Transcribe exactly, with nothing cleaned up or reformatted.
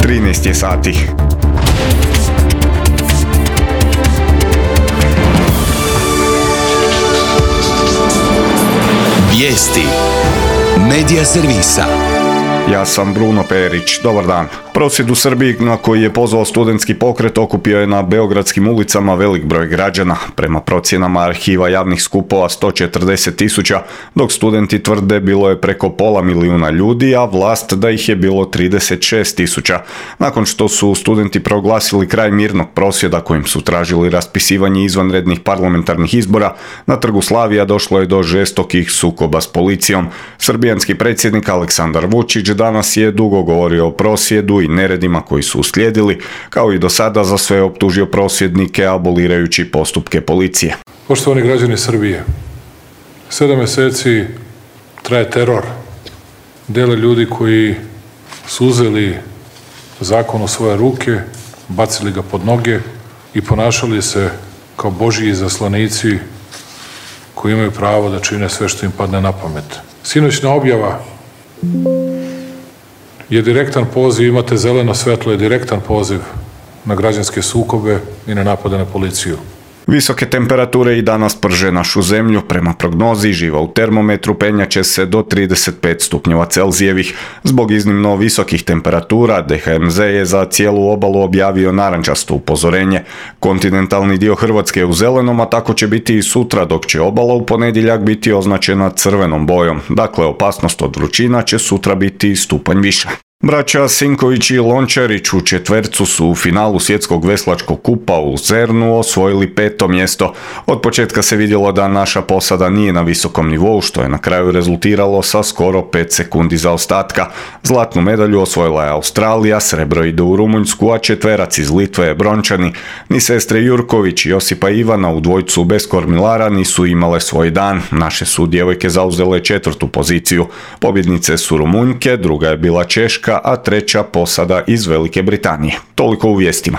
trinaest je sati. Vijesti Medija servisa. Ja sam Bruno Perić, dobar dan. Prosvjed u Srbiji na koji je pozvao studentski pokret okupio je na beogradskim ulicama velik broj građana. Prema procjenama arhiva javnih skupova sto četrdeset tisuća, dok studenti tvrde bilo je preko pola milijuna ljudi, a vlast da ih je bilo trideset šest tisuća. Nakon što su studenti proglasili kraj mirnog prosvjeda kojim su tražili raspisivanje izvanrednih parlamentarnih izbora, na Trgu Slavija došlo je do žestokih sukoba s policijom. Srbijanski predsjednik Aleksandar Vučić danas je dugo govorio o prosvjedu i neredima koji su uslijedili, kao i do sada za sve optužio prosvjednike abolirajući postupke policije. Poštovani građani Srbije, sedam mjeseci traje teror. Dele ljudi koji su uzeli zakon u svoje ruke, bacili ga pod noge i ponašali se kao božji izaslanici koji imaju pravo da čine sve što im padne na pamet. Sinoćna objava je direktan poziv, imate zeleno svetlo, je direktan poziv na građanske sukobe i na napade na policiju. Visoke temperature i danas prže našu zemlju. Prema prognozi živa u termometru penjaće se do trideset pet stupnjeva Celzijevih. Zbog iznimno visokih temperatura, D H M Z je za cijelu obalu objavio narančasto upozorenje. Kontinentalni dio Hrvatske je u zelenom, a tako će biti i sutra, dok će obala u ponedjeljak biti označena crvenom bojom. Dakle, opasnost od vrućina će sutra biti stupanj više. Braća Sinković i Lončarić u četvercu su u finalu svjetskog veslačkog kupa u Luzernu osvojili peto mjesto. Od početka se vidjelo da naša posada nije na visokom nivou, što je na kraju rezultiralo sa skoro pet sekundi zaostatka. Zlatnu medalju osvojila je Australija, srebro ide u Rumunjsku, a četverac iz Litve je brončani. Ni sestre Jurković i Josipa Ivana u dvojcu bez kormilara nisu imale svoj dan. Naše su djevojke zauzele četvrtu poziciju. Pobjednice su Rumunjke, druga je bila Češka, a treća posada iz Velike Britanije. Toliko u vijestima.